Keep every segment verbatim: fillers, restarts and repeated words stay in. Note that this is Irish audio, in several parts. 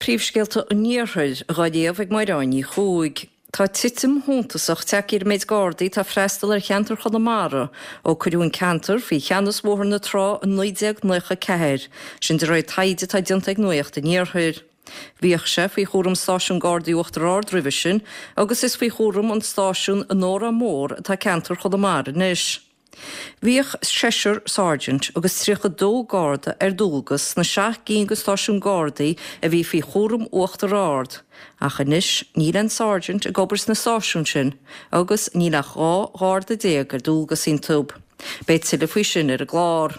Príomhscéalta an Iarthair á léamh ag Máire Ní Chuaig. Tá titim shuntasach tagtha ar an méid Gardaí atá ag freastal ar cheantar Chonamara ó cuireadh an ceantar faoi cheannas Bhóthar na Trá in naoi déag nócha ceathair, sin de réir taighde atá déanta ag Nuacht an Iarthair. Bhíodh sé faoi chúram stáisiún Gardaí Uachtar Ard roimhe sin agus is faoi chúram an stáisiúin in Órán Mór atá ceantar Chonamara anois. Bhíodh seisear Sergeant agus tríocha dó Garda ar dualgas sna seacht gcinn de stáisiúin Gardaí a bhí faoi chúram Uachtar Ard, ach anois níl aon Sergeant ag obair sna stáisiúin sin agus níl ach dhá Gharda déag ar dualgas iontu. Beidh tuilleadh faoi sin ar an gclár.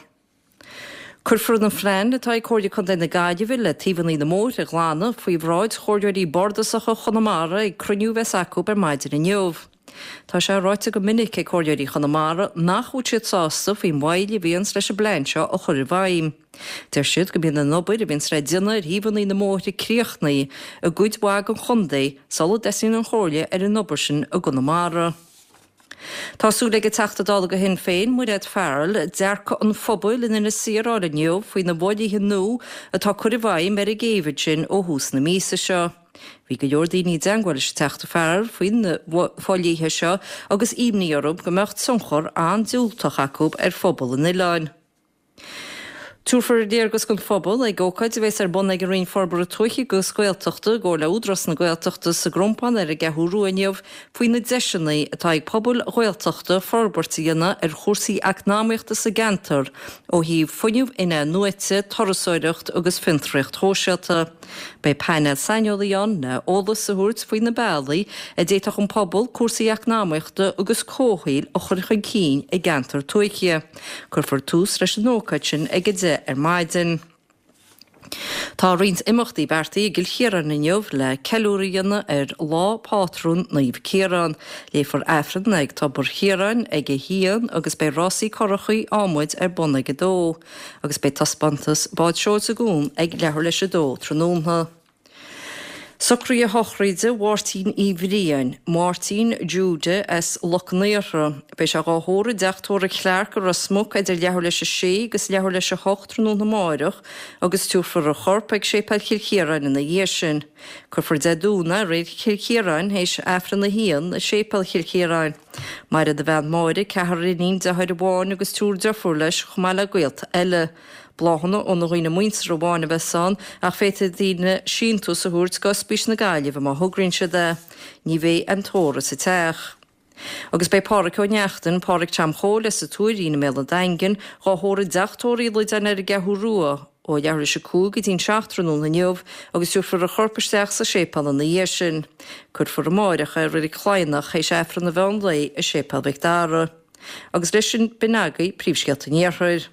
Cuirfear an phlean atá ag Comhairle Contae na Gaillimhe le taobhanna na mbóithre a ghlanadh faoi bhráid Chomhairleoirí Bardasacha Chonamara ag cruinniú a bheas acu ar maidin inniu. Tá sé ráite go minic ag Comhairleoirí Chonamara nach bhfuil siad sásta faoin mhoill a bhíonns leis an bplean seo a chur i bhfeidhm. Deir siad go mbíonn an obair a bhíonns le déanamh ar thaobhanna na mbóithre críochnaithe i gcuid mhaith den chontae sula dtosaíonn an Chomhairle ar an obair sin i gConamara. Tá súil ag an Teachta Dála do Shinn Féin, Mairéad Farrell, dearcadh an phobail in Inis Oírr a fháil inniu faoi na bhfodhlíthe nua atá curtha i bhfeidhm ar an gcéibh ansin ó thús na míosa seo. Bhí go leor daoine i dteagmháil leis an Teachta Farrell faoi na fodhlíthe seo agus imní orthu go mbeadh tionchar an-diúltach acu ar phobal an oileáin. Tabharfar léargas don phobal ag ócáid a bheas ar bun ag an Roinn Forbartha Tuaithe agus Gaeltachta i gcomhar le Údarás na Gaeltachta sa gCrompán ar an gCeathrú Rua inniu faoi na deiseanna atá ag pobail Ghaeltachta forbairt a dhéanamh ar chúrsaí eacnamaíochta sa gceantar ó thaobh fuinneamh in-athnuaite, turasóireacht agus fiontraíocht shóisialta. Beidh painéal saineolaí ann le eolas a thabhairt faoi na bealaí a d'fhéadfadh an pobal cúrsaí eacnamaíochta agus comhshaoil a chur chun cinn i gceantar tuaithe. Cuirfear tús leis an ócáid sin ag a deich ar maidin. Tá roinnt imeachtaí beartaithe i gCill Chiaráin inniu le ceiliúradh a dhéanamh ar Lá Pátrúin Naomh Ciarán. Léifear Aifreann ag Tobar Chiaráin ag a haon agus beidh rásaí curachaí adhmaid ar bun ag a dó, agus beidh taispeántas bád seoil sa gcuan ag leathuair leis a dó tráthnóna. Socruithe sochraide Mháirtín Uí Bhriain, Máirtín Jude as Loch an Iartha. Beidh sé dhá thórramh i dteach tórraimh Clarke i Ros Muc idir leathuair leis a sé agus leathuair leis a hocht tráthnóna amárach agus tabharfar a chorp ag Séipéal Chill Chiaráin ina dhiaidh sin. Cuirfear Dé Domhnaigh i Reilig Chill Chiaráin théis Aifreann a haon i Séipéal Chill Chiaráin. Maireann a bhean Máire, ceathrar iníon, deartháir amháin agus triúr deirfiúr leis chomh maith le gaolta eile. Bláthanna ó na dhaoine muinteartha amháin a bheas ann ach féadfaidh daoine síntiús a thabhairt go Ospís na Gaillimhe má thograíonn siad é. Ní bheidh aon tórramh sa teach. Agus beidh Páraic Ó Neachtain, Páraic Tom Chóil as an Tuairín i mBéal an Daingin, dhá thórramh i dteach tórraimh Uí Loideáin ar an gCeathrú Rua, ó leathuair leis a cúig go dtí'n seacht tráthnóna inniu agus tabharfar a chorp isteach sa séipéal ina dhiaidh sin. Cuirfear amárach é i Reilig Chladhnach théis Aifreann an mheán lae i Séipéal Mhic Dara. Agus leis sin b'in agaibh príomhscéalta an Iarthair.